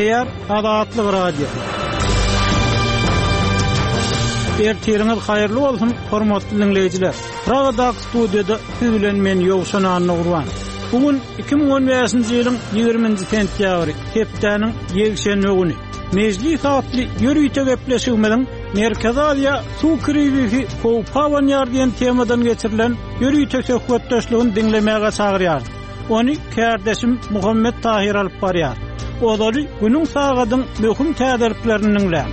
Gepleýär Azatlyk Radiosy. Ertiriňiz haýyrly bolsun, hormatly diňleýjiler! Pragadaky studiýada siz bilen men Ýowşan Annagurban. Bu gün 2015-nji ýylyň 20-nji sentýabry, hepdäniň ýekşenbe güni. Mejlis atly ýörite gepleşigimiziň Merkezi Aziýa suw krizisi howpa abanýar diýen temadan geçirilen ýörite söhbetdeşligini diňlemäge çagyrýarys. Ony kärdeşim Muhammet Tahyr alyp barýar. Ozaly günüň sagadyň möhüm täzeliklerini diňläň.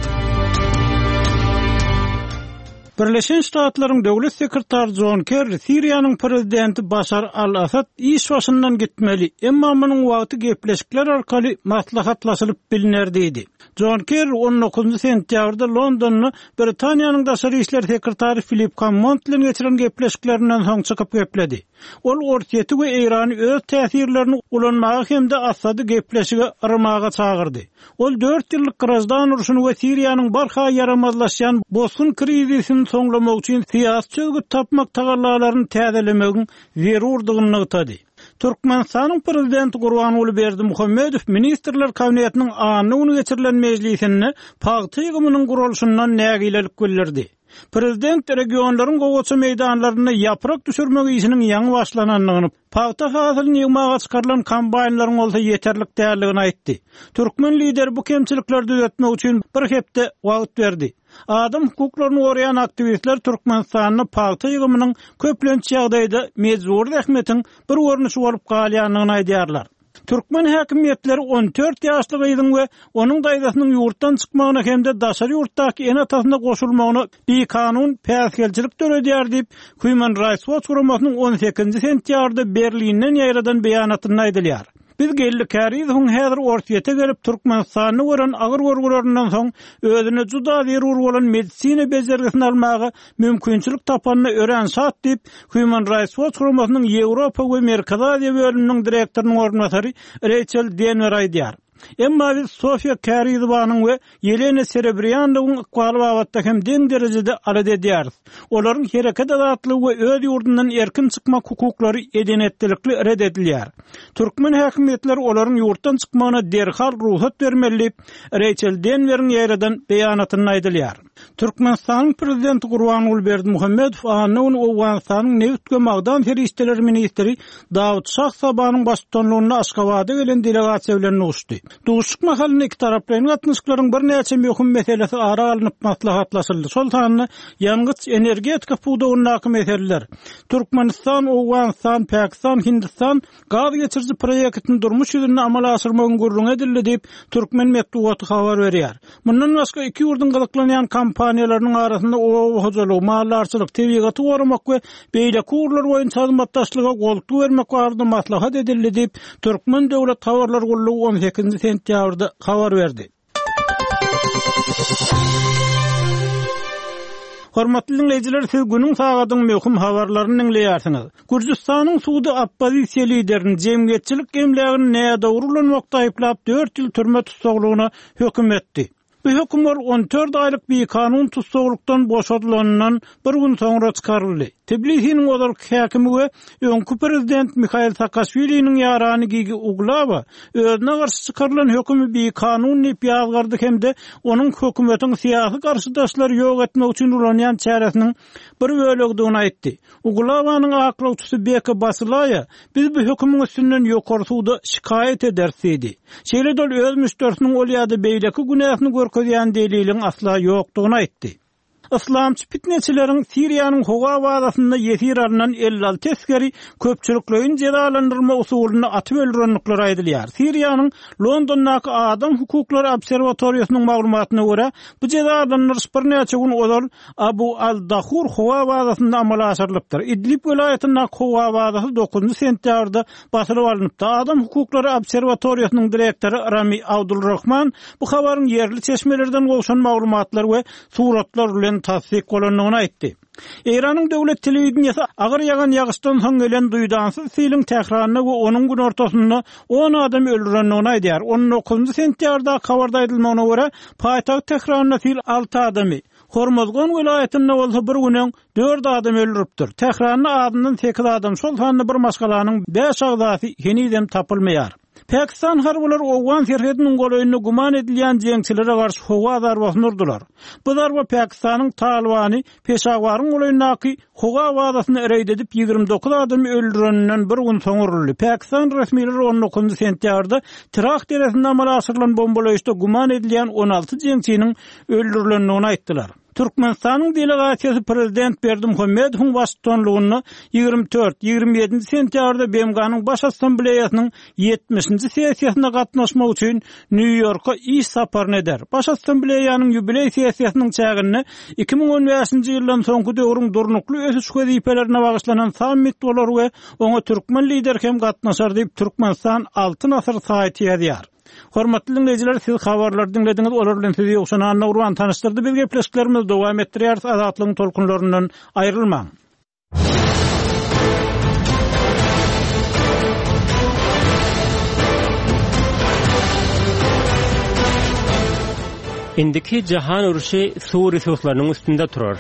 Birleşen Ştatlaryň Döwlet sekretary Jon Kerri Siriýanyň prezidenti Başar al-Assad iş başyndan gitmeli, emma munuň wagty gepleşikler arkaly maslahatlaşylyp bilner diýdi. Jon Kerri on dokuzynjy sentýabrda Londonda Britaniýanyň daşary işler sekretary Filip Hammond bilen geçiren gepleşiklerinden soň çykyp gepledi. Ol Orsýeti we Eýrany öz täsirlerini ulanmaga hem-de Assady gepleşige yrmaga çagyrdy. Ol dört ýyllyk graždan urşuny we Siriýanyň barha ýaramazlaşýan bosgun krizisini soňlamak üçin syýasy çözgüt tapmak tagallalaryny täzelemegiň zerurdygyny nygtady. Türkmenistanyň Prezidenti Gurbanguly Berdimuhamedow Ministrler Kabinetiniň anna güni geçirilen mejlisinde pagta ýygymynyň guralyşyndan nägilelik bildirdi. Prezident regionlaryň gowaça meýdanlarynda ýaprak düşürmek işiniň ýaňy başlanandygyny, pagta hasylyny ýygmaga çykarylan kombaýnlaryň bolsa ýeterlik däldigini aýtdy. Türkmen lideri bu kemçilikleri düzetmek üçin bir hepde wagt berdi. Adam hukuklaryny goraýan aktiwistler Türkmenistanda pagta ýygymynyň köplenç ýagdaýda mejbury zähmetiň bir görnüşi bolup galýandygyny aýdýarlar. Türkmen häkimiýetleri 14 ýaşly gyzyň we onuň daýzasynyň ýurtdan çykmagyna hem-de daşary ýurtdaky ene-atasyna goşulmagyna bikanun päsgelçilik döredýär diýip, Human Rights Watch guramasynyň on sekizinji sentýabrda Berlinden ýaýradan beýanatynda aýdylýar. Biz Geldi Kärizowyň häzir Orsýete gelip, Türkmenistanda gören agyr görgülerinden soň, özüne juda zerur bolan medisina bejergisini almaga mümkinçilik tapanyna örän şat diýip, Human Rights Watch guramasynyň Ýewropa we Merkezi Aziýa bölüminiň direktorynyň orunbasary Reýçel Denwer aýdýar. Emma biz Sofiýa Kärizowanyň we Ýelena Serebrýanowyň ykbaly babatda hem deň derejede alada edýäris. Olaryň hereket azatlygy we öz ýurdundan erkin çykmak hukuklary eden-etdilikli ret edilýär. Türkmen häkimiýetleri olaryň ýurtdan çykmagyna derhal rugsat bermeli diýip, Reýçel Denweriň ýaýradan beýanatynda aýdylýar. Türkmenistanyň Prezidenti Gurbanguly Berdimuhamedow anna güni Owganystanyň nebit we magdan serişdeleri ministri Dawut Şah Sabanyň baştutanlygynda Aşgabada gelen delegasiýa bilen duşdy. Duşuşyk mahalynda ikitaraplaýyn gatnaşyklaryň birnäçe möhüm meselesi ara alnyp maslahatlaşyldy, şol sanda ýangyç-energetika pudagyndaky meseleler, Türkmenistan, Owganystan, Pakistan, Hindistan Gaz geçiriji proýektini durmuş ýüzünde amala aşyrmagyň gürrüňi edildi diýip, türkmen metbugaty habar berýär. Mundan başga, iki ýurduň gyzyklanýan kompaniýalarynyň arasynda oba hojalygy, maldarçylyk, tebigaty goramak we beýleki ugurlar boýunça hyzmatdaşlyga goltgy bermek barada maslahat edildi diýip, türkmen döwlet habarlar gullugy on sekizinji sentýabrda habar berdi. Hormatly diňleýjiler, siz günüň sagadyň möhüm habarlaryny diňleýärsiňiz. Gürjüstanyň sudy oppozisiýa liderini jemgyýetçilik emlägini nädogry ulanmakda aýyplap, dört ýyl türme tussaglygyna höküm etdi. Bu höküm ol 14 aýlyk bikanun tussaglykdan boşadylanyndan bir gün soňra çykaryldy. Tbilisiniň ozalky häkimi we öňki prezident Mihail Saakaşwiliniň ýarany Gigi Uglawa özüne garşy çykarylan hökümi bikanun diýip ýazgardy hem-de onuň hökümetiň syýasy garşydaşlary ýok etmek üçin ulanýan çäresiniň bir bölegidigini aýtdy. Uglawanyň aklawçysy Beka Basilaýa Biz bu hökümiň üstünden ýokary suda şikaýat ederis diýdi. Şeýle-de ol öz müşderisiniň ol ýa-da beýleki günäsini görkezýän deliliň asla ýokdugyny aýtdy. Yslamçy pitneçileriň Siriýanyň howa bazasynda ýesir alnan 56 esgeri köpçülikleýin jezalandyrma usulynda atyp öldürendikleri aýdylýar. Siriýanyň Londondaky Adam hukuklary obserwatoriýasynyň maglumatyna görä, bu jezalandyryş birnäçe gün ozal Abu al-Dahur howa bazasynda amala aşyrylypdyr. Idlib welaýatyndaky howa bazasy dokuzynjy sentýabrda basylyp alnypdy. Adam hukuklary obserwatoriýasynyň direktory Rami Abdulrahman bu habaryň ýerli çeşmelerden gowşan maglumatlar we suratlar bilen tassyk bolandygyny aýtdy. Eýranyň döwlet telewideniýesi agyr ýagan ýagyşdan soň gelen duýdansyz siliň Tähranda we onuň günortasynda on adamy öldürendigini aýdýar. On dokuzynjy sentýabrdaky habarda aýdylmagyna görä, paýtagt Tähranda sil alty adamy, Hormozgan welaýatynda bolsa bir gün öň dört adamy öldüripdir. Tähranda azyndan sekiz adam, şol sanda bir maşgalanyň bäş agzasy henizem tapylmaýar. Pakistan harbylary owgan serhediniň golaýynda güman edilýän jeňçilere garşy howa zarbasyny urdular. Bu zarba Pakistanyň Talybany Peşawaryň golaýyndaky howa bazasyna reýd edip, 29 adamy öldüreninden bir gün soň uruldy. Pakistan resmileri on dokuzynjy sentýabrda Tirah deresinde amala aşyrylan bombalaýyşda güman edilýän 16 jeňçiniň öldürilendigini aýtdylar. Türkmenistanyň delegasiýasy prezident Berdimuhamedowyň baştutanlygynda 24, 27 sentýabrda BMG-niň Baş Assambleýasynyň ýetmişinji sessiýasyna gatnaşmak üçin Nýu-Ýorka iş saparyny eder. Baş Assambleýanyň ýubileý sessiýasynyň çäginde 2015-nji ýyldan soňky döwrüň durnukly ösüş wezipelerine bagyşlanan sammit bolar we oňa türkmen Lideri hem gatnaşar diýip, Türkmenistan Altyn asyr saýty ýazýar. Hormatly diňleýjiler, siz habarlary diňlediňiz, olar bilen sizi Ýowşan Annagurban tanyşdyrdy. Biz gepleşiklerimizi dowam etdirýäris, Azatlygyň tolkunlaryndan aýrylmaň. Indiki jahan urşy suw resurslarynyň üstünde turar.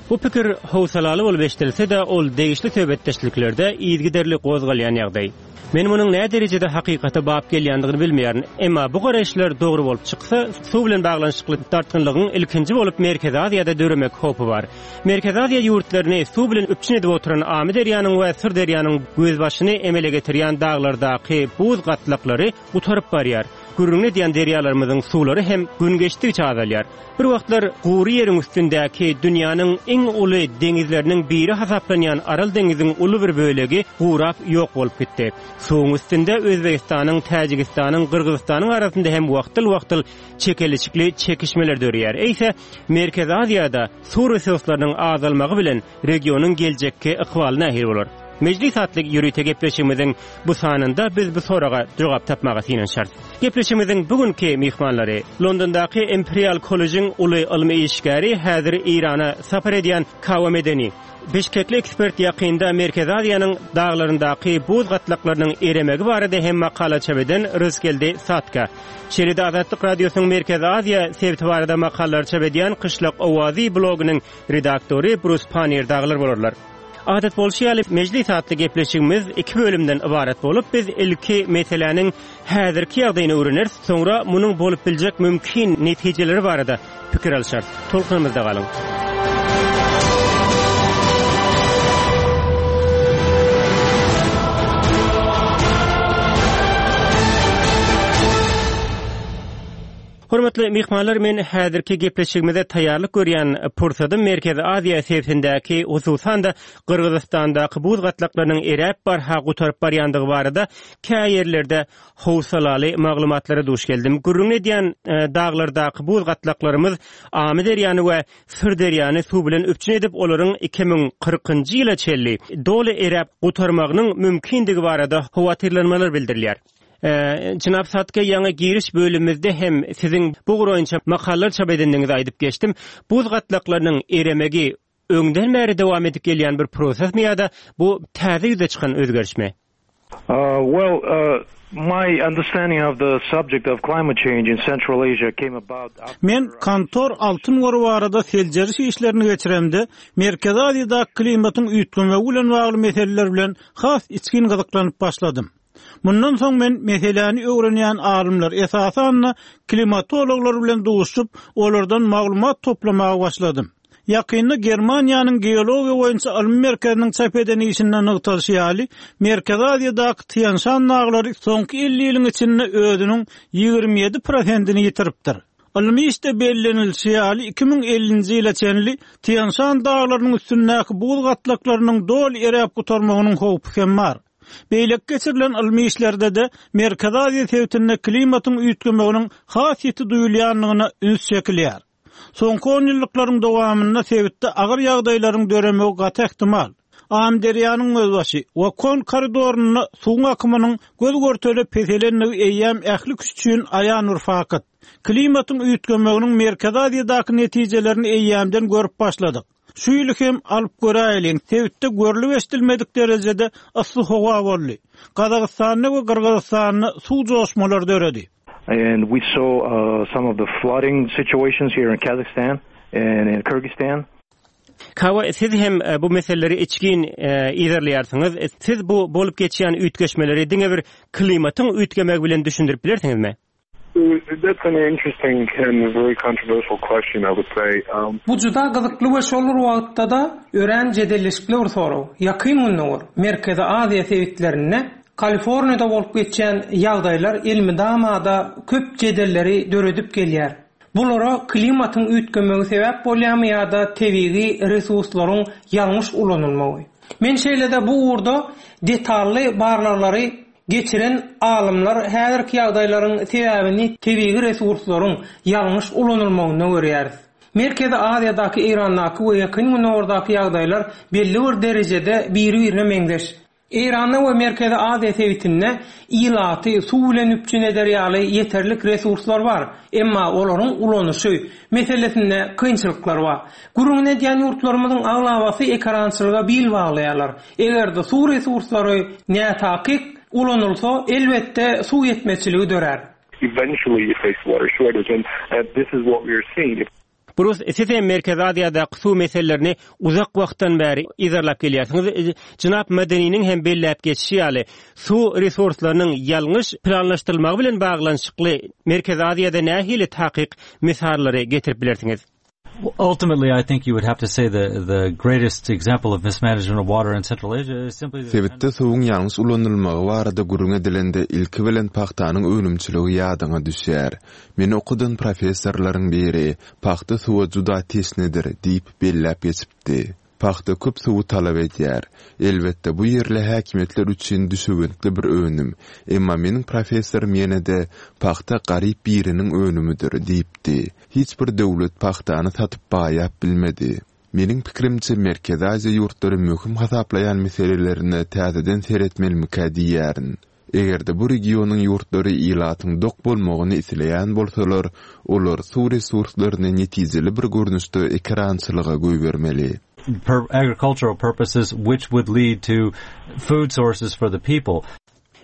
Bu pikir howsalaly bolup eşidilse-de, ol degişli söhbetdeşliklerde yzygiderli gozgalýan ýagdaý. Men munuň näderejede hakykata bap gelýändigini bilmeýärin, emma bu garaýyşlar dogry bolup çyksa, suw bilen baglanyşykly dartgynlygyň ilkinji bolup Merkezi Aziýada döremek howpy bar. Merkezi Aziýa ýurtlaryny suw bilen üpjün edip oturan Amyderýanyň we Syrderýanyň gözbaşyny emele getirýän daglardaky buz gatlaklary gutaryp barýar. Gürrüňini edýän derýalarymyzyň suwlary hem gün geçdigiçe azalýar. Bir wagtlar gury ýeriň üstündäki dünýäniň iň uly deňizleriniň biri hasaplanýan Aral deňiziň uly bir bölegi gurap ýok bolup gitdi. Suwuň üstünde Özbegistanyň, Täjigistanyň, Gyrgyzystanyň arasynda hem wagtal-wagtal çekeleşikli çekişmeler döreýär. Eýse, Merkezi Aziýada suw resurslarynyň azalmagy bilen regionyň geljekki ykbaly nähili bolar? Mejlis atly ýörite gepleşigimiziň bu sanynda biz bu soraga jogap tapmaga synanyşarys. Gepleşigimiziň bu günki myhmanlary, Londondaky Imperial kollejiň uly ylmy işgäri, häzir Eýrana sapar edýän Kawa Medeni, Bişkekli ekspert ýakynda Merkezi Aziýanyň daglaryndaky buz gatlaklarynyň eremegi barada hem makala çap eden Rysgeldi Satka, şeýle-de Azatlyk Radiosynyň Merkezi Aziýa sebiti barada makalalary çap edýän Kyşlak owazy blogynyň redaktory Brus Pannier dagylar bolarlar. Adat bolşy ýaly, Mejlis atly gepleşigimiz iki bölümden ybarat bolup, biz ilki meseläniň häzirki ýagdaýyny öwreneris, soňra munuň bolup biljek mümkin netijeleri barada pikir alyşarys. Tolkunymyzda galyň! Hormatly myhmanlar, men häzirki gepleşigimize taýýarlyk görýän pursadym Merkezi Aziýa sebitindäki, hususan-da, Gyrgyzystandaky buz gatlaklarynyň eräp barha gutaryp barýandygy barada kä ýerlerde howsalaly maglumatlara duş geldim. Gürrüňini edýän daglardaky buz gatlaklarymyz Amyderýany we Syrderýany suw bilen üpjün edip, olaryň 2040-njy ýyla çenli doly eräp gutarmagynyň mümkindigi barada howatyrlanmalar bildirilýär. Jenap Satke, ýaňy giriş bölümimizde hem siziň bu ugur boýunça makalalar çap edendigiňizi aýdyp geçdim. Buz gatlaklarynyň eremegi öňden bäri dowam edip gelýän bir prosesmi ýa-da bu täze ýüze çykan özgerişmi? Well, my understanding of the subject of climate change in Central Asia came about after. Men Kantor altyn gory barada seljeriş işlerini geçiremde, Merkezi Aziýadaky klimatyň üýtgemegi bilen bagly meseleler bilen has içgin gyzyklanyp başladym. Mundan soň men meseläni öwrenýän alymlar, esasan-da, klimatologlar bilen duşup, olardan maglumat toplamaga başladym. Ýakynda Germaniýanyň Geologiýa boýunça ylmy merkeziniň çap eden işinde nygtalyşy ýaly, Merkezi Aziýadaky Týan-Şan daglary soňky 50 ýylyň içinde özüniň 27 prosentini ýitiripdir. Ylmy işde bellenilişi ýaly, 2050-nji ýyla çenli Týan-Şan daglarynyň üstündäki buz gatlaklarynyň doly eräp gutarmagynyň howpy hem bar. Beýleki geçirilen ylmy işlerde-de Merkezi Aziýa sebitinde klimatyň üýtgemeginiň has ýiti duýulýandygyna üns çekilýär. Soňky onýyllyklaryň dowamynda sebitde agyr ýagdaýlaryň döremegi gaty ähtimal. Amyderýanyň gözbaşy, Wakon koridorynda suwuň akymynyň göz-görtele peselendigi eýýäm ähli kişi üçin aýan bir fakt. Klimatyň üýtgemeginiň Merkezi Aziýadaky netijelerini eýýämden görüp başladyk. Şu ýyly hem alyp göräýeliň, sebitde görlüp-eşidilmedik derejede yssy howa boldy. Gazagystanda we Gyrgyzystanda suw joşmalary döredi. And we saw some of the flooding situations here in Kazakhstan and in Kyrgyzstan. Kawa, siz hem bu meseleleri içgin yzarlaýarsyňyz. Siz bu bolup geçýän üýtgeşmeleri diňe bir klimatyň üýtgemegi bilen düşündirip bilersiňizmi? Bu juda gyzykly we şol bir wagtda-da örän jedelleşikli bir sorag. Ýakyn Gündogar, Merkezi Aziýa sebitlerinde, Kaliforniýada bolup geçýän ýagdaýlar elmydama-da köp jedelleri döredip gelýär. Bulara klimatyň üýtgemegi sebäp bolýarmy ýa-da tebigy resurslaryň ýalňyş ulanylmagy? Men şeýle-de bu ugurda detally barlaglary geçiren alymlar häzirki ýagdaýlaryň sebäbini tebigy resurslaryň ýalňyş ulanylmagynda görýäris. Merkezi Aziýadaky, Eýrandaky we Ýakyn Gündogardaky ýagdaýlar belli bir derejede biri-birine meňzeş. Eýranda we Merkezi Aziýa sebitinde ilaty suw bilen üpjün eder ýaly ýeterlik resurslar bar, emma olaryň ulanyşy meselesinde kynçylyklar bar. Gürrüňini edýän ýurtlarymyzyň aglabasy ekerançylyga bil baglaýarlar. Eger-de suw resurslary nätakyk ulanylsa, elbetde, suw ýetmezçiligi dörär. Eventually you face water shortage and this is what we are seeing. Brus, siz hem Merkezi Aziýadaky suw meselelerini uzak wagtdan bäri yzarlap gelýärsiňiz. Jenap Madeniniň hem belläp geçişi ýaly, suw resurslarynyň ýalňyş planlaşdyrylmagy bilen baglanyşykly Merkezi Aziýada nähili takyk mysallary getirip bilersiňiz? Ultimately, I think you would have to say the the greatest example of mismanagement of water in Central Asia is simply the Sebitde suwuň ýalňyş ulanylmagy barada gürrüň edilende ilki bilen pagtanyň önümçiligi ýadyňa düşýär. Meni okadan professorlaryň biri, Pagta suwa juda teşnedir diýip belläp geçipdi. Pagta köp suwy talap edýär. Elbetde, bu ýerli häkimiýetler üçin düşewüntli bir önüm. Emma meniň professorym ýene-de, Pagta garyp biriniň önümidir diýipdi. Hiç bir döwlet pagtany satyp baýap bilmedi. Meniň pikirimçe, Merkezi Aziýa ýurtlary möhüm hasaplaýan meselelerine täzeden seretmelimikä diýýärin. Eger-de bu regionyň ýurtlary ilatyň dok bolmagyny isleýän bolsalar, olar suw resurslaryny netijeli bir görnüşde ekerançylyga goýbermeli. agricultural purposes which would lead to food sources for the people.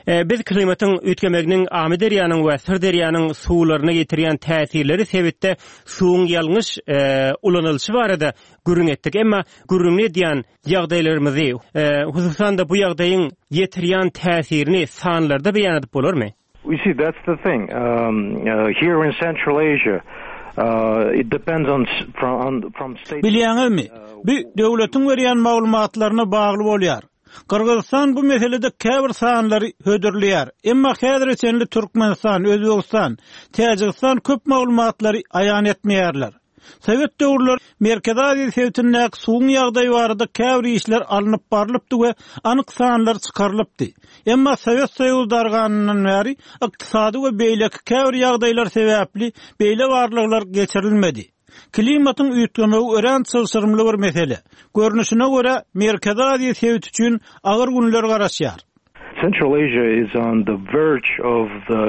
Biz klimatyň üýtgemeginiň Amyderýanyň we Syrderýanyň suwlaryna ýetirýän täsirleri sebitde suwuň ýalňyş ulanylyşy barada gürrüň etdik. Emma gürrüňini edýän ýagdaýlarymyzy, hususan-da bu ýagdaýyň ýetirýän täsirini sanlarda beýan edip bolarmy? You see, that's the thing. Here in Central Asia, it depends on from state. Bilýäňizmi, bu döwletiň berýän maglumatlaryna bagly bolýar. Gyrgyzystan bu meselede käbir sanlary hödürleýär. Emma häzire çenli Türkmenistan, Özbegistan, Täjigistan köp maglumatlary aýan etmeýärler. Sowet döwürleri Merkezi Aziýa sebitindäki suwuň ýagdaýy barada käbir işler alnyp barlypdy we anyk sanlar çykarylypdy. Emma Sowet Soýuzy darganyndan bäri ykdysady we beýleki käbir ýagdaýlar sebäpli beýle barlaglar geçirilmedi. Klimatyň üýtgemegi örän çylşyrymly bir mesele. Görnüşine görä, Merkezi Aziýa sebiti üçin agyr günler garaşýar. Central Asia is on the verge of the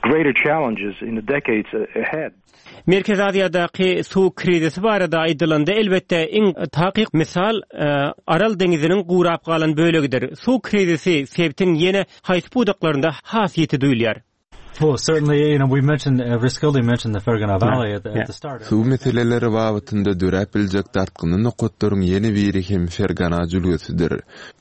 greater challenges in the decades ahead. Merkezi Aziýadaky suw krizisi barada aýdylanda, elbetde, iň takyk mysal Aral deňziniň gurap galan bölegidir. Suw krizisi sebitiň ýene haýsy pudaklarynda has ýiti duýulýar? Suw meseleleri babatynda döräp biljek dartgynly nokatlaryň ýene biri hem Fergana jülgesidir.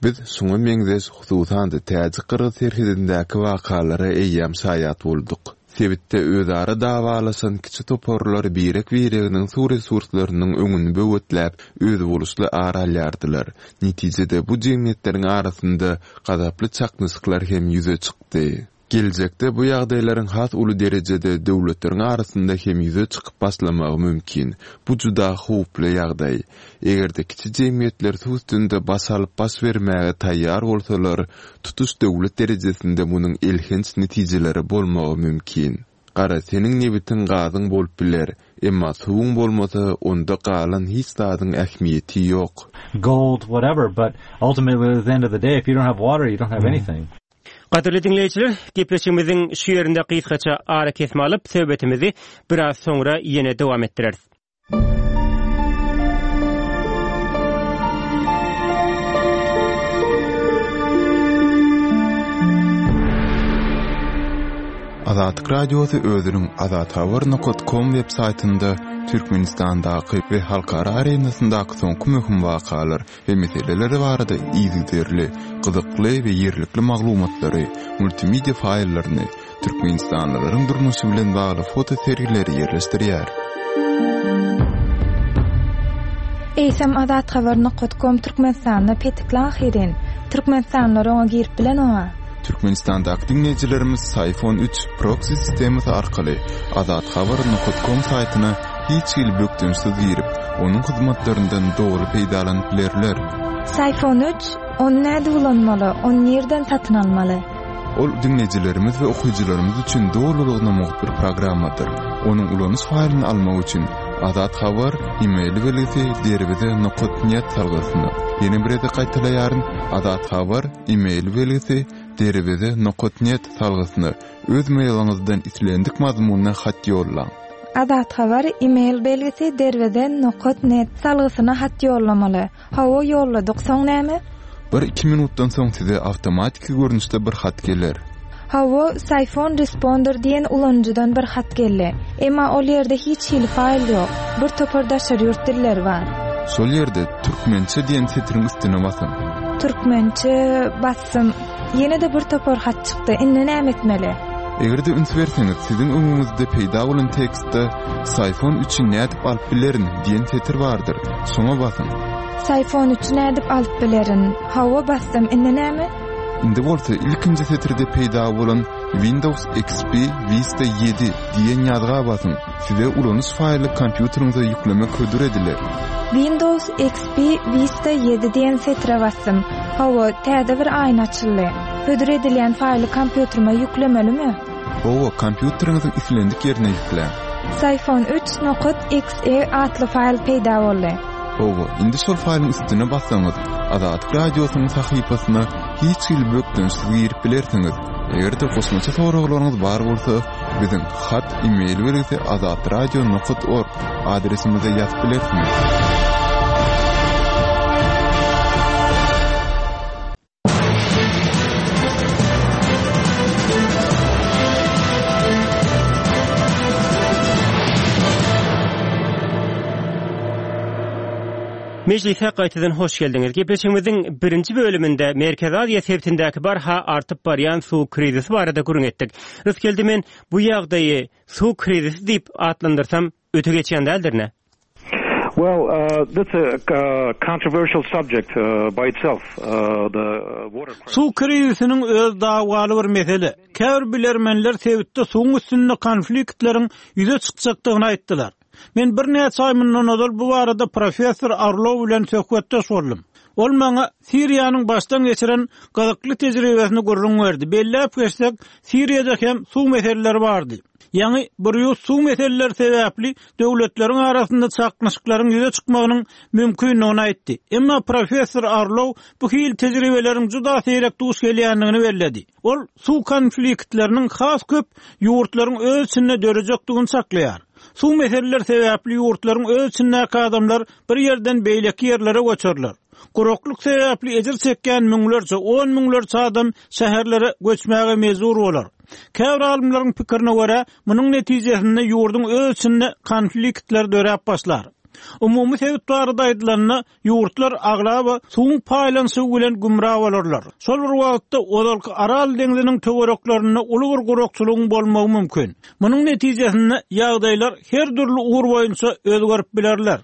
Biz şuňa meňzeş, hususan-da, täjik-gyrgyz serhedindäki wakalara eýýäm şaýat bolduk. Sebitde özara dawalaşan kiçi toparlar birek-bireginiň suw resurslarynyň öňüni böwetläp, özboluşly ar alýardylar. Netijede, bu jemgyýetleriň arasynda gazaply çaknyşyklar hem ýüze çykdy. Geljekde bu ýagdaýlaryň has uly derejede döwletleriň arasynda hem ýüze çykyp başlamagy mümkin. Bu juda howply ýagdaý. Eger-de kiçi jemgyýetler suw üstünde baş alyp baş bermäge taýýar bolsalar, tutuş döwlet derejesinde munuň elhenç netijeleri bolmagy mümkin. Gara, seniň nebitiň, gazyň bolup biler, emma suwuň bolmasa, onda galan hiç zadyň ähmiýeti ýok. Gold, whatever, but ultimately at the end of the day if you don't have water you don't have anything. Gadyrly diňleýjiler, gepleşigimiziň şu ýerinde gysgaça arakesme alyp, söhbetimizi biraz soňra ýene dowam etdireris. Azatlyk Radiosy özüniň azathabar nokat kom web saýtynda. Türkmenistandaky we halkara arenasyndaky soňky möhüm wakalar we meseleler barada yzygiderli, gyzykly we ýerlikli maglumatlary, multimedia faýllaryny, türkmenistanlylaryň durmuşy bilen bagly foto sergileri ýerleşdirýär. Eýsem Azathabar nokat kom Türkmenistanda petikli ahyryn. Türkmenistanlylar oňa girip bilenoga. Türkmenistandaky diňleýjilerimiz Syfon üç proksi sistemasy arkaly Azathabar nokat kom saýtyna hiç hili bökdençsiz girip, onuň hyzmatlaryndan doly peýdalanyp bilerler. Syfon üç, ony nädip ulanmaly, ony nirden satyn almaly? Ol diňleýjilerimiz we okyjylarymyz üçin dolulygyna mugt bir programmadyr. Onuň ulanyş faýlyny almak üçin Azat Habar e-mail belgisi derweze nokat net salgysyna, ýene bir gezek gaýtalaýaryn, Azat Habar e-mail belgisi derweze nokat net salgysyna öz mailiňizden islendik mazmunda hat ýollaň. Azat Habar e-mail belgisi derweze nokat net salgysyna hat ýollamaly. Hawa ýolladyk, soň näme? Bir-iki minutdan soň size awtomatiki görnüşde bir hat geler. Hawa, Syphon Responder diýen ulanyjydan bir hat geldi. Emma ol ýerde hiç hili faýl ýok. Bir topar daşary ýurt dilleri bar. Şol ýerde Türkmençe diýen setiriň üstüne basyň. Türkmençe basdym. Ýene-de bir topar hat çykdy. Indi näme etmeli? Eger-de üns berseňiz, siziň öňüňizde peýda bolan tekstde Syphon üçi nädip alyp bilerin diýen setir bardyr. Şoňa basyň. Syphon üçi nädip alyp bilerin? Hawa, basdym. Indi näme? Indi bolsa ilkinji setirde peýda bolan Windows XP Vista ýedi diýen ýazga basyň. Size ulanyş faýly kompýuteriňize ýüklemek hödür ediler. Windows XP Vista ýedi diýen setire basdym. Hawa, täze bir aýna açyldy. Hödür edilýän faýly kompýuterime ýüklemelimi? Hawa, kompýuteriňiziň islendik ýerine ýükläň. Syphon üç nokat exe atly faýl peýda boldy. Hawa, indi şol faýlyň üstüne bassaňyz, Azatlyk Radiosynyň sahypasyna hiç hili bökdençsiz girip bilersiňiz. Eger-de goşmaça soraglaryňyz bar bolsa, biziň hat e-mail belgisi azatradio nokat org adresimize ýazyp bilersiňiz. Mejlise gaýtadan hoş geldiňiz. Gepleşigimiziň birinji bölüminde Merkezi Aziýa sebitindäki barha artyp barýan suw krizisi barada gürrüň etdik. Rysgeldi men bu ýagdaýy suw krizisi diýip atlandyrsam öte geçýän däldirin-ä? Well, uh, that's a uh, controversial subject uh, by itself. Uh, the water crisis. Suw krizisiniň özi dawaly bir mesele. Käbir bilermenler sebitde suwuň üstünde konfliktleriň ýüze çykjakdygyny aýtdylar. Men birnäçe aý mundan ozal bu barada professor Orlow bilen söhbetdeş boldum. Ol maňa Siriýanyň başdan geçiren gyzykly tejribesini gürrüň berdi. Belläp geçsek, Siriýada hem suw meseleleri bardy. Ýaňy Brýus suw meseleleri sebäpli döwletleriň arasynda çaknyşyklaryň ýüze çykmagynyň mümkindigini aýtdy. Emma professor Orlow bu hili tejribeleriň juda seýrek duş gelýändigini belledi. Ol suw konfliktleriniň has köp ýurtlaryň öz içinde dörejekdigini çaklaýar. Suw meseleleri sebäpli ýurtlaryň öz içindäki adamlar bir ýerden beýleki ýerlere göçerler. Guraklyk sebäpli ejir çekýän müňlerçe, on müňlerçe adam şäherlere göçmäge mejbur bolar. Käbir alymlaryň pikirine görä, munuň netijesinde ýurduň öz içinde konfliktler döräp başlar. Umumy sebit barada aýdylanda, Ýurtlar aglaba suwuň paýlanyşy bilen gümra bolarlar. Şol bir wagtda, ozalky Aral deňziniň töwereklerinde uly bir gurakçylygyň bolmagy mümkin. Munuň netijesinde ýagdaýlar her dürli ugur boýunça özgerip bilerler.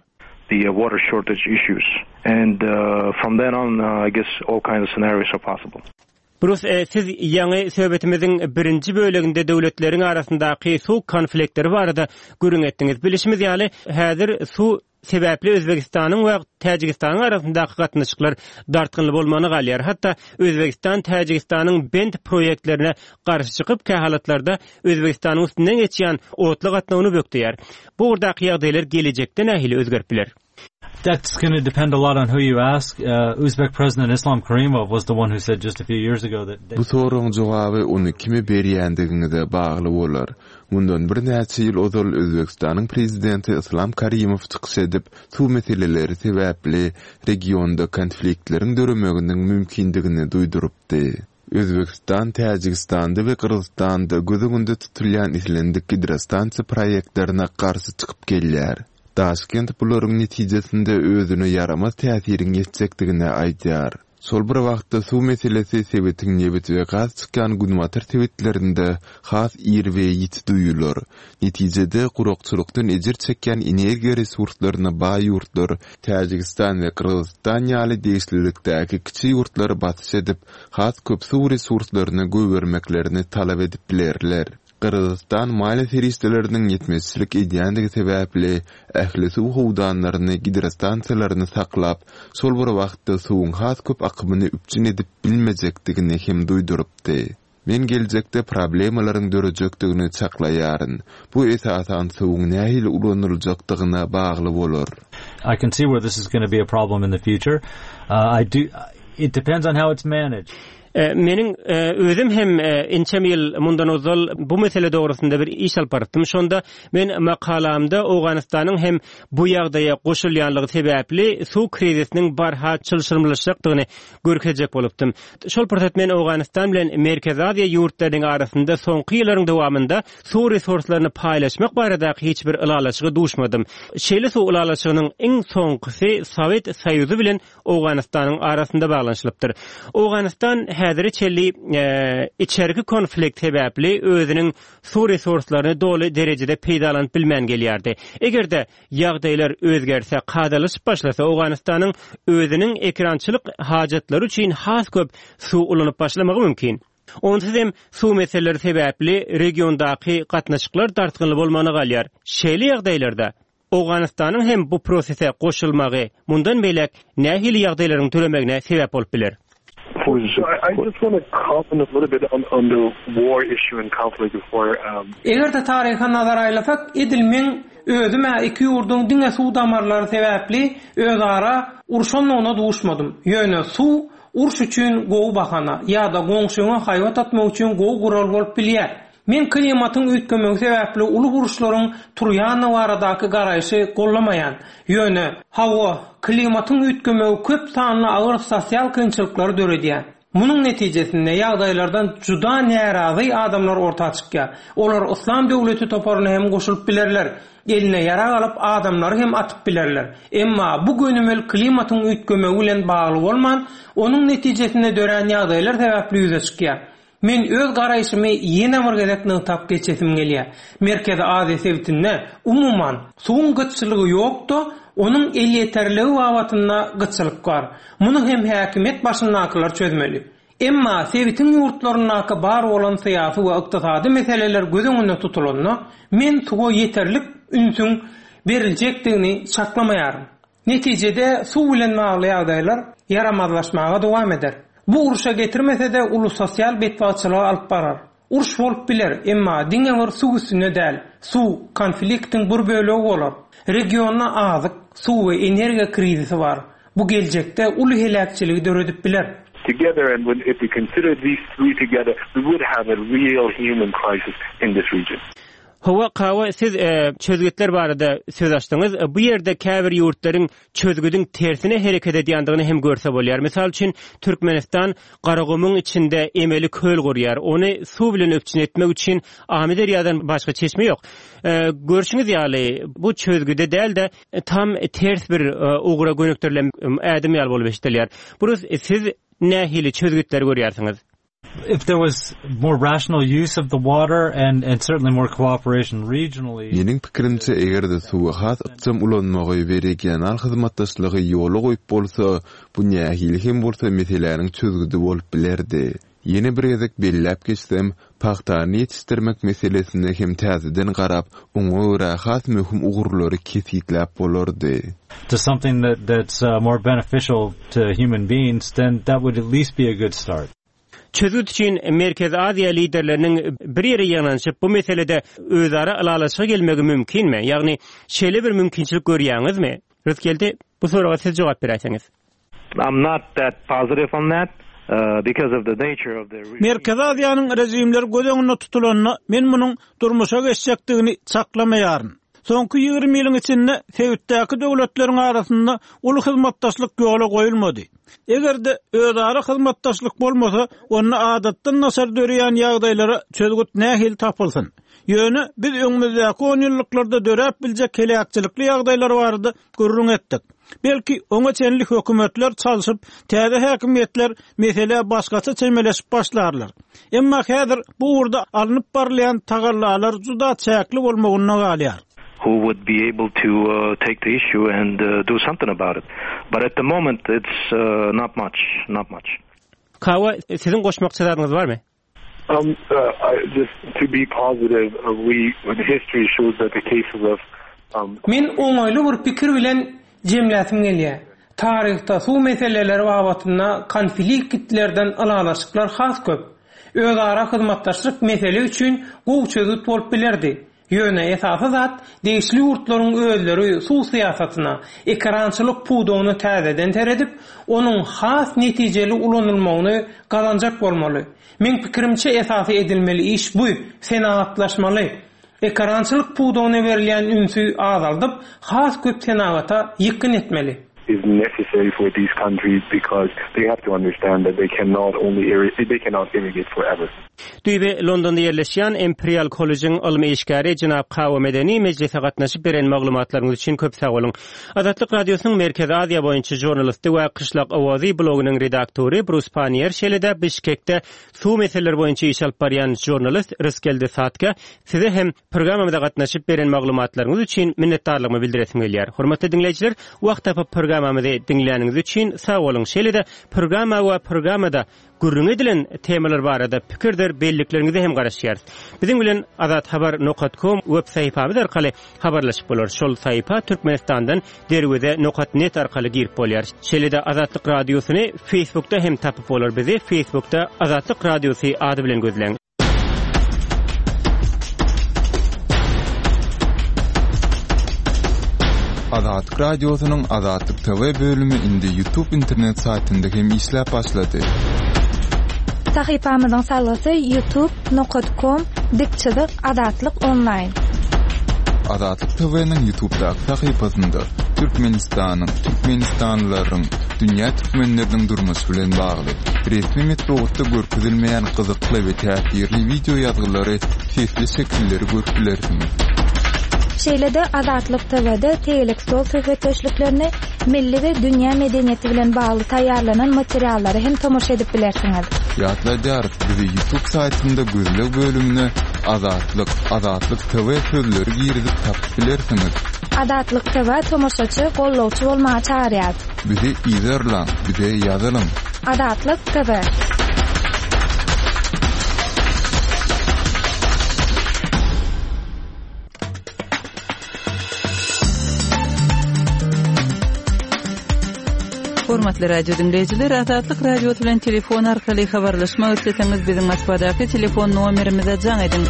The water shortage issues and from then on I guess all kinds of scenarios are possible. Brus, siz ýaňy söhbetimiziň birinji böleginde döwletleriň arasyndaky suw konfliktleri barada gürrüň etdiňiz. Bilişimiz ýaly, häzir suw sebäpli Özbegistanyň we Täjigistanyň arasyndaky gatnaşyklar dartgynly bolmagyna galýar. Hatda Özbegistan Täjigistanyň bent proýektlerine garşy çykyp, kähalatlarda Özbegistanyň üstünden geçýän otly gatnawyny bökdeýär. Bu ugurdaky ýagdaýlar gelejekde nähili özgerip biler? That's gonna depend a lot on who you ask. Uzbek President Islam Karimov was the one who said just a few years ago that Bu soragyň jogaby ony kime berýändigiňize bagly bolar. Mundan birnäçe ýyl ozal Özbegistanyň prezidenti Yslam Karimow çykyş edip, suw meseleleri sebäpli regionda konfliktleriň döremeginiň mümkindigini duýdurypdy. Özbegistan Täjigistanda we Gyrgyzystanda göz öňünde tutulýan islendik gidrostansiýa proýektlerine garşy çykyp gelýär. Daşkent bularyň netijesinde özüne ýaramaz täsiriň ýetjekdigini aýdýar. Şol bir wagtda suw meselesi sebitiň nebit we gaz çykýan günbatar sebitlerinde has ir we ýiti duýular. Netijede, gurakçylykdan ejir çekýän energiýa resurslaryna baý ýurtlar Täjigistan we Gyrgyzystan ýaly degişlilikdäki kiçi ýurtlara basyş edip, has köp suw resurslaryny goýbermeklerini talap edip bilerler. Gyrgyzystan maliýe serişdeleriniň ýetmezçilik edýändigi sebäpli, ähli suw howdanlaryny, gidrostansiýalaryny saklap, şol bir wagtda suwuň has köp akymyny üpjün edip bilmejekdigini hem duýdurypdy. Men geljekde problemalaryň dörejekdigini çaklaýaryn. Bu esasan suwuň nähili ulanyljakdygyna bagly bolar. I can see where this is gonna be a problem in the future. I do, it depends on how it's managed. Meniň özüm hem ençeme ýyl mundan ozal bu mesele dogrusynda bir iş alyp barypdym. Şonda men makalamda Owganystanyň hem bu ýagdaýa goşulýanlygy sebäpli suw krizisiniň barha çylşyrymlaşjakdygyny görkezjek bolupdym. Şol pursat men Owganystan bilen Merkezi Aziýa ýurtlarynyň arasynda soňky ýyllaryň dowamynda suw resurslaryny paýlaşmak baradaky hiç bir ylalaşyga duşmadym. Şeýle suw ylalaşygynyň iň soňkusy Sowet Soýuzy bilen Owganystanyň arasynda baglanyşylypdyr. Owganystan häzire çenli içerki konflikt sebäpli özüniň suw resurslaryny doly derejede peýdalanyp bilmän gelýärdi. Eger-de ýagdaýlar özgerse, kadalaşyp başlasa, Owganystanyň özüniň ekerançylyk hajatlary üçin has köp suw ulanyp başlamagy mümkin. Onsuz hem suw meseleleri sebäpli regiondaky gatnaşyklar dartgynly bolmagyna galýar. Şeýle ýagdaýlarda Owganystanyň hem bu prosese goşulmagy mundan beýläk nähili ýagdaýlaryň döremegine sebäp bolup biler? Eger-de taryha nazar aýlasak, edil meň özüm-ä iki ýurduň diňe suw damarlary sebäpli özara urşandygyna duşmadym. Ýöne suw uruş üçin gowy bahana ýa-da goňşyňa haýbat atmak üçin gowy gural bolup bilýär. Men klimatyň üýtgemegi sebäpli uly uruşlaryň turýandygy baradaky garaýşy gollamaýan. Ýöne, hawa, klimatyň üýtgemegi köp sanly agyr sosial kynçylyklary döredýär. Munuň netijesinde ýagdaýlardan juda närazy adamlar orta çykýar. Olar Yslam döwleti toparyna hem goşulyp bilerler, eline ýarag alyp adamlary hem atyp bilerler. Emma bu gönümel klimatyň üýtgemegi bilen bagly bolman, onuň netijesinde dörän ýagdaýlar sebäpli ýüze çykýar. Men öz garaýşymy ýene bir gezek nygtap geçesim gelýär. Merkezi Aziýa sebitinde, umuman, suwuň gytçylygy ýok-da, onuň elýeterligi babatynda gytçylyk bar. Muny hem häkimiýet başyndakylar çözmeli. Emma sebitiň ýurtlaryndaky bar bolan syýasy we ykdysady meseleler göz öňünde tutulanda, men suwa ýeterlik ünsüň beriljekdigini çaklamaýaryn. Netijede suw bilen bagly ýagdaýlar ýaramazlaşmaga dowam eder. Bu urşa getirmese-de uly sosial betbagtçylyga alyp barar. Uruş bolup biler, emma diňe bir suw üstünde däl. Suw, konfliktiň bir bölegi bolar. Regionda azyk, suw we energiýa krizisi bar. Bu geljekde uly heläkçiligi döredip biler. Together and when if we consider these three together we would have a real human crisis in this region. Hawa, Kawa, siz çözgütler barada söz açdyňyz. Bu ýerde käbir ýurtlaryň çözgüdiň tersine hereket edýändigini hem görse bolýar. Mysal üçin, Türkmenistan Garagumuň içinde emeli köl gurýar. Ony suw bilen üpjün etmek üçin Amyderýadan başga çeşme ýok. Görşüňiz ýaly, bu çözgüde däl-de, tam ters bir ugra gönükdirilen ädim ýaly bolup eşidilýär. Brus, siz nähili çözgütleri görýärsiňiz? If there was more rational use of the water and and certainly more cooperation regionally. Meniň pikirimçe, eger-de suwy has ykjam ulanmagy we regional hyzmatdaşlygy ýola goýup bolsa, bu nähili hem bolsa meseläniň çözgüdi bolup bilerdi. Ýene bir gezek belläp geçsem, pagtany ýetişdirmek meselesine hem täzeden garap, oňa görä has möhüm ugurlary kesgitläp bolardy. To something that that's more beneficial to human beings, then that would at least be a good start. Çözgüt üçin Merkezi Aziýa liderleriniň bir ýere ýygnanyşyp, bu meselede özara ylalaşyga gelmegi mümkinmi? Ýagny, şeýle bir mümkinçilik görýäňizmi? Rysgeldi, bu soraga siz jogap beräýseňiz. I'm not that positive on that because of the nature of the regime. Merkezi Aziýanyň režimleri göz öňünde tutulanda, men munuň durmuşa geçjekdigini çaklamaýaryn. Soňky 20 ýylyň içinde sebitdäki döwletleriň arasynda uly hyzmatdaşlyk ýola goýulmady. Eger-de özara hyzmatdaşlyk bolmasa, onda adatdan daşary döreýän ýagdaýlara çözgüt nähili tapylsyn? Ýöne biz öňümizdäki onýyllyklarda döräp biljek heläkçilikli ýagdaýlar barada gürrüň etdik. Belki, oňa çenli hökümetler çalşyp, täze häkimiýetler meselä başgaça çemeleşip başlarlar. Emma häzir bu ugurda alnyp barylýan tagallalar juda çäkli bolmagynda galýar. who would be able to take the issue and do something about it. But at the moment it's not much, not much. Kawa, siziň goşmakça zadyňyz barmy? Um, uh, just to be positive, uh, we history shows that the cases of um, Men oňaýly bir pikir bilen jemläsim gelýär. Taryhda suw meseleleri babatynda konfliktlerden ylalaşyklar has köp. Özara hyzmatdaşlyk mesele üçin gowy çözgüt bolup bilerdi. Ýöne esasy zat, degişli ýurtlaryň özleri suw syýasatyna, ekerançylyk pudagyna täzeden seredip, onuň has netijeli ulanylmagyny gazanjak bolmaly. Meň pikirimçe esasy edilmeli iş bu, senagatlaşmaly. Ekerançylyk pudagyna berilýän ünsi azaldyp, has köp senagata ýykgyn etmeli. is necessary for these countries because they have to understand that they cannot only they cannot irrigate forever. Düýbi Londonda ýerleşýän Imperial kollejiň ylmy işgäri jenap Kawa Medeni mejlise gatnaşyp beren maglumatlaryňyz üçin köp sag boluň. Azatlyk Radiosynyň Merkezi Aziýa boýunça žurnalisti we Kyşlak owazy blogynyň redaktory Brus Panier şeýle-de Bişkekde suw meseleleri boýunça iş alyp barýan žurnalist Rysgeldi Satkä size hem Programmamyza gatnaşyp beren maglumatlaryňyz üçin minnetdarlygymy bildiresim gelýär. Hormatly diňleýjiler, wagt tapyp programmamyzy diňläniňiz üçin sag boluň. Şeýle-de programma we programmada gürrüňi edilen temalar barada pikirdir bellikleriňize hem garaşýarys. Biziň bilen azathabar nokat kom web sahypamyz arkaly habarlaşyp bolar. Şol sahypa Türkmenistandan derweze nokat net arkaly girip bolýar. Şeýle-de Azatlyk Radiosyny Facebookda hem tapyp bolar. Bizi Facebookda Azatlyk Radiosy ady bilen gözläň. Azatlyk Radiosynyň Azatlyk TV bölümi indi YouTube internet saýtynda hem işläp başlady. Sahypamyzyň salgysy youtube nokat kom dik çyzyk azatlyk onlaýn. Azatlyk TV-niň YouTube'daky sahypasynda Türkmenistanyň, türkmenistanlylaryň, dünýä türkmenleriniň durmuşy bilen bagly, resmi metbugatda görkezilmeýän gyzykly we täsirli wideo ýazgylary, sesli şekilleri görüp bilersiňiz. Şeýle-de Azatlyk TW-de tegelek stol söhbetdeşliklerini, milli we dünýä medeniýeti bilen bagly taýýarlanan materiallara hem tomaşa edip bilersiňiz. Ýatladýarys, bizi YouTube saýtynda gözleg bölümine Azatlyk, Azatlyk TV sözleri girizip tapyp bilersiňiz. Azatlyk TV tomaşaçy, gollawçy bolmaga çagyrýar. Bizi yzarlaň, bize ýazylyň. Azatlyk TV. Hormatly radio diňleýjiler, Azatlyk Radiosy bilen telefon arkaly habarlaşmak isleseňiz, biziň Moskwadaky telefon nomerimize jaň ediň.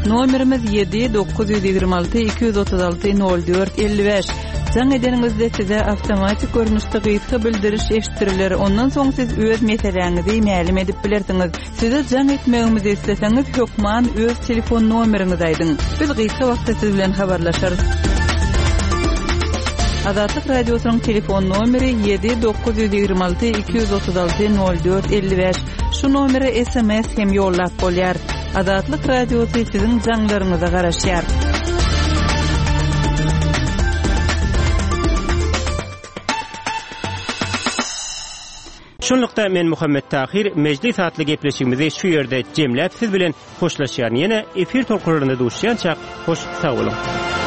Nomerimiz 7 926 236 04 55. Jaň edeniňizde size awtomatik görnüşde gysga bildiriş eşitdiriler, ondan soň siz öz meseläňizi mälim edip bilersiňiz. Size jaň etmegimizi isleseňiz, hökman öz telefon nomeriňizi aýdyň. Biz gysga wagtda siz bilen habarlaşarys. Azatlyk Radiosynyň telefon nomeri 7 926 236 04 55. Şu nomere sms hem ýollap bolýar. Azatlyk Radiosy siziň jaňlaryňyza garaşýar. Şunlukda men Muhammet Tahyr Mejlis atly gepleşigimizi şu ýerde jemläp siz bilen hoşlaşýaryn. Ýene efir tolkunlarynda duşýançak hoş sag boluň.